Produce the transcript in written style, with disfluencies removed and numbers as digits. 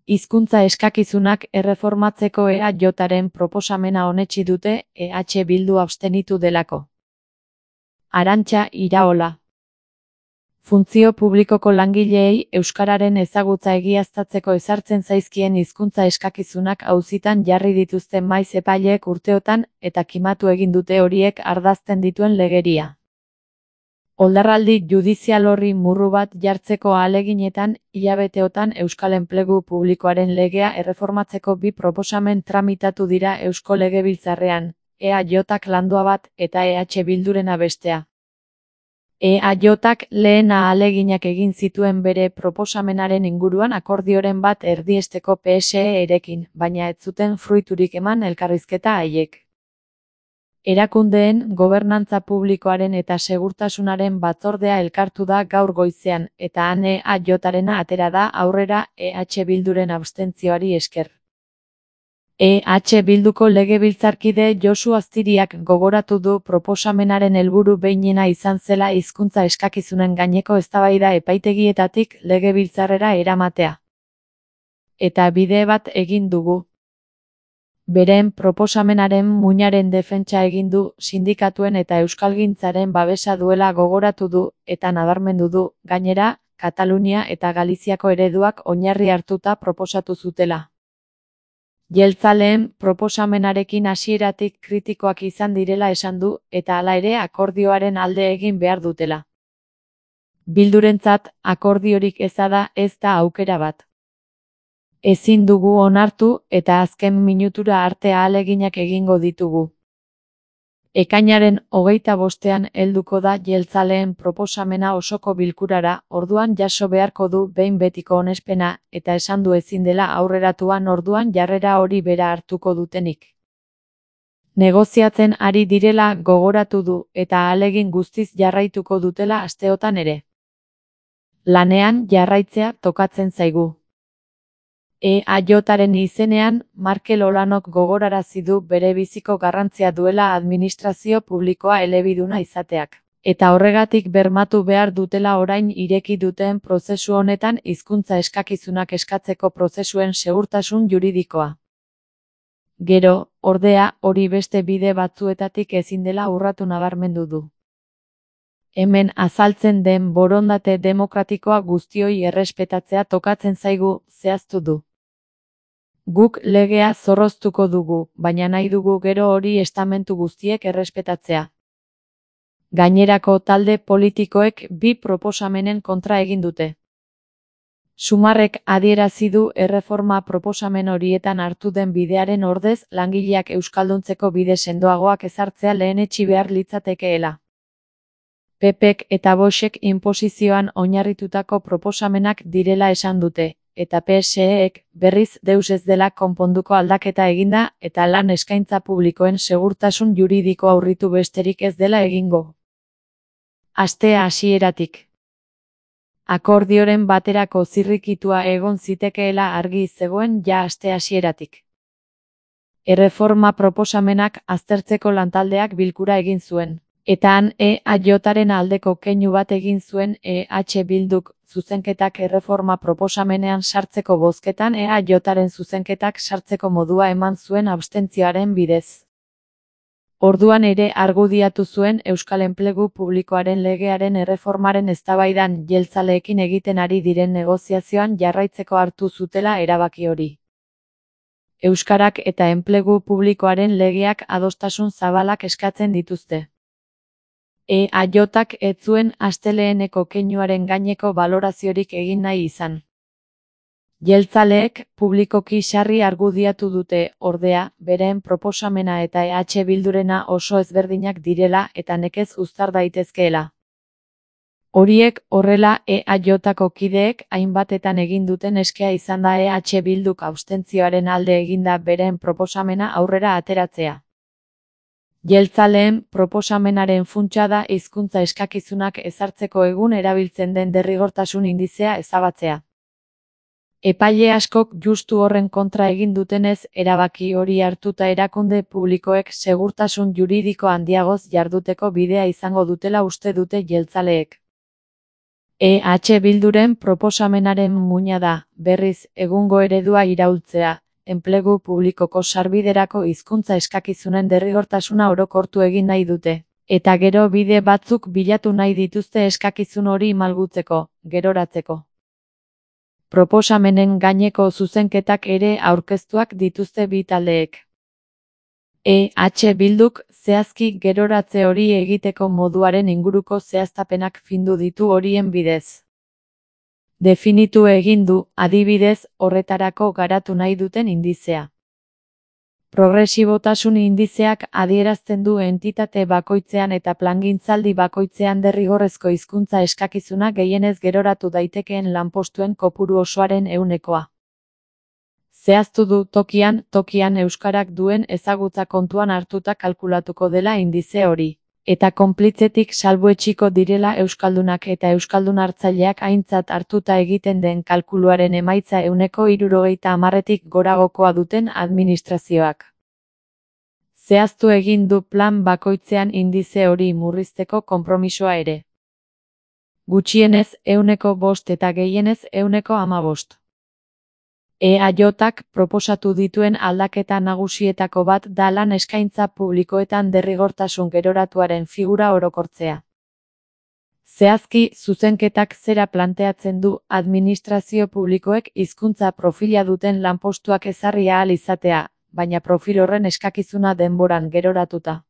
Hizkuntza eskakizunak erreformatzeko EAJren proposamena onetsi dute EH Bildu abstenitu delako. Arantxa Iraola. Funtzio publikoko langileei euskararen ezagutza egiaztatzeko ezartzen zaizkien hizkuntza eskakizunak auzitan jarri dituzte maiz epaileek urteotan eta kimatu egin dute horiek ardazten dituen legeria. Oldarraldi judizial horri murru bat jartzeko ahaleginetan, hilabeteotan Euskal Enplegu Publikoaren legea erreformatzeko bi proposamen tramitatu dira Eusko Legebiltzarrean, EAJak landua bat eta EH Bildurena bestea. EAJak lehen ahaleginak egin zituen bere proposamenaren inguruan akordioren bat erdiesteko PSE-erekin, baina ez zuten fruiturik eman elkarrizketa haiek. Erakundeen, gobernantza publikoaren eta segurtasunaren batzordea elkartu da gaur goizean, eta han EAJarena atera da aurrera EH Bilduren abstentzioari esker. EH Bilduko legebiltzarkide Josu Aztiriak gogoratu du proposamenaren helburu behinena izan zela hizkuntza eskakizunen gaineko eztabaida epaitegietatik legebiltzarrera eramatea. Eta bide bat egin dugu. Beren proposamenaren muinaren defentsa egin du, sindikatuen eta euskalgintzaren babesa duela gogoratu du, eta nabarmendu du, gainera, Katalunia eta Galiziako ereduak oinarri hartuta proposatu zutela. Jeltzaleen proposamenarekin hasieratik kritikoak izan direla esan du, eta hala ere akordioaren alde egin behar dutela. Bildurentzat, akordiorik eza da ez da aukera bat. Ezin dugu onartu eta azken minutura arte ahaleginak egingo ditugu. Ekainaren 25ean helduko da jeltzaleen proposamena osoko bilkurara, orduan jaso beharko du behin betiko onespena, eta esan du ezin dela aurreratuan orduan jarrera hori bera hartuko dutenik. Negoziatzen ari direla gogoratu du, eta ahalegin guztiz jarraituko dutela asteotan ere. Lanean jarraitzea tokatzen zaigu. EAJaren izenean, Markel Olanok gogorarazi du bere biziko garrantzia duela administrazio publikoa elebiduna izateak, eta horregatik bermatu behar dutela orain ireki duten prozesu honetan hizkuntza eskakizunak eskatzeko prozesuen segurtasun juridikoa. Gero, ordea, hori beste bide batzuetatik ezin dela urratu nabarmendu du. Hemen azaltzen den borondate demokratikoa guztioi errespetatzea tokatzen zaigu, zehaztu du. Guk legea zorroztuko dugu, baina nahi dugu gero hori estamentu guztiek errespetatzea. Gainerako talde politikoek bi proposamenen kontra egin dute. Sumarrek adierazi du erreforma proposamen horietan hartu den bidearen ordez langileak euskalduntzeko bide sendoagoak ezartzea lehenetsi behar litzatekeela. PPek eta Voxek inposizioan oinarritutako proposamenak direla esan dute, eta PSEek berriz deus ez dela konponduko aldaketa eginda eta lan eskaintza publikoen segurtasun juridikoa urritu besterik ez dela egingo. Astea hasieratik. Akordioren baterako zirrikitua egon zitekeela argi zegoen ja aste hasieratik. Erreforma proposamenak aztertzeko lantaldeak bilkura egin zuen. Eta han EAJaren aldeko keinu bat egin zuen EH Bilduk zuzenketak erreforma proposamenean sartzeko bozketan EAJaren zuzenketak sartzeko modua eman zuen abstentzioaren bidez. Orduan ere argudiatu zuen Euskal Enplegu Publikoaren legearen erreformaren eztabaidan jeltzaleekin egiten ari diren negoziazioan jarraitzeko hartu zutela erabaki hori. Euskarak eta Enplegu Publikoaren legeak adostasun zabalak eskatzen dituzte. EAJak ez zuen asteleheneko keinuaren gaineko baloraziorik egin nahi izan. Jeltzaleek publikoki sarri argudiatu dute, ordea, beren proposamena eta EH Bildurena oso ezberdinak direla eta nekez uztar daitezkeela. Horiek horrela EAJako kideek hainbatetan egin duten eskea izan da EH Bilduk abstentzioaren alde eginda beren proposamena aurrera ateratzea. Jeltzaleen proposamenaren funtsa da hizkuntza eskakizunak ezartzeko egun erabiltzen den derrigortasun indizea ezabatzea. Epaile askok justu horren kontra egin dutenez erabaki hori hartuta erakunde publikoek segurtasun juridiko handiagoz jarduteko bidea izango dutela uste dute jeltzaleek. Bilduren proposamenaren muina da, berriz, egungo eredua iraultzea, enplegu publikoko sarbiderako hizkuntza eskakizunen derrigortasuna orokortu egin nahi dute. Eta gero bide batzuk bilatu nahi dituzte eskakizun hori malgutzeko, geroratzeko. Proposamenen gaineko zuzenketak ere aurkeztuak dituzte bi taldeek. Bilduk zehazki geroratze hori egiteko moduaren inguruko zehaztapenak findu ditu horien bidez. Definitu egin du, adibidez, horretarako garatu nahi duten indizea. Progresibotasun indizeak adierazten du entitate bakoitzean eta plangintzaldi bakoitzean derrigorrezko hizkuntza eskakizuna gehienez geroratu daitekeen lanpostuen kopuru osoaren 100%. Zehaztu du tokian euskarak duen ezagutza kontuan hartuta kalkulatuko dela indize hori. Eta konplitzetik salbuetsiko direla euskaldunak eta euskaldun hartzaileak aintzat hartuta egiten den kalkuluaren emaitza 70%tik goragokoa duten administrazioak. Zehaztu egin du plan bakoitzean indize hori murrizteko konpromisoa ere. Gutxienez 5% eta gehienez 15%. EAJak proposatu dituen aldaketa nagusietako bat da lan eskaintza publikoetan derrigortasun geroratuaren figura orokortzea. Zehazki, zuzenketak zera planteatzen du administrazio publikoek hizkuntza profila duten lanpostuak ezarri ahal izatea, baina profil horren eskakizuna denboran geroratuta.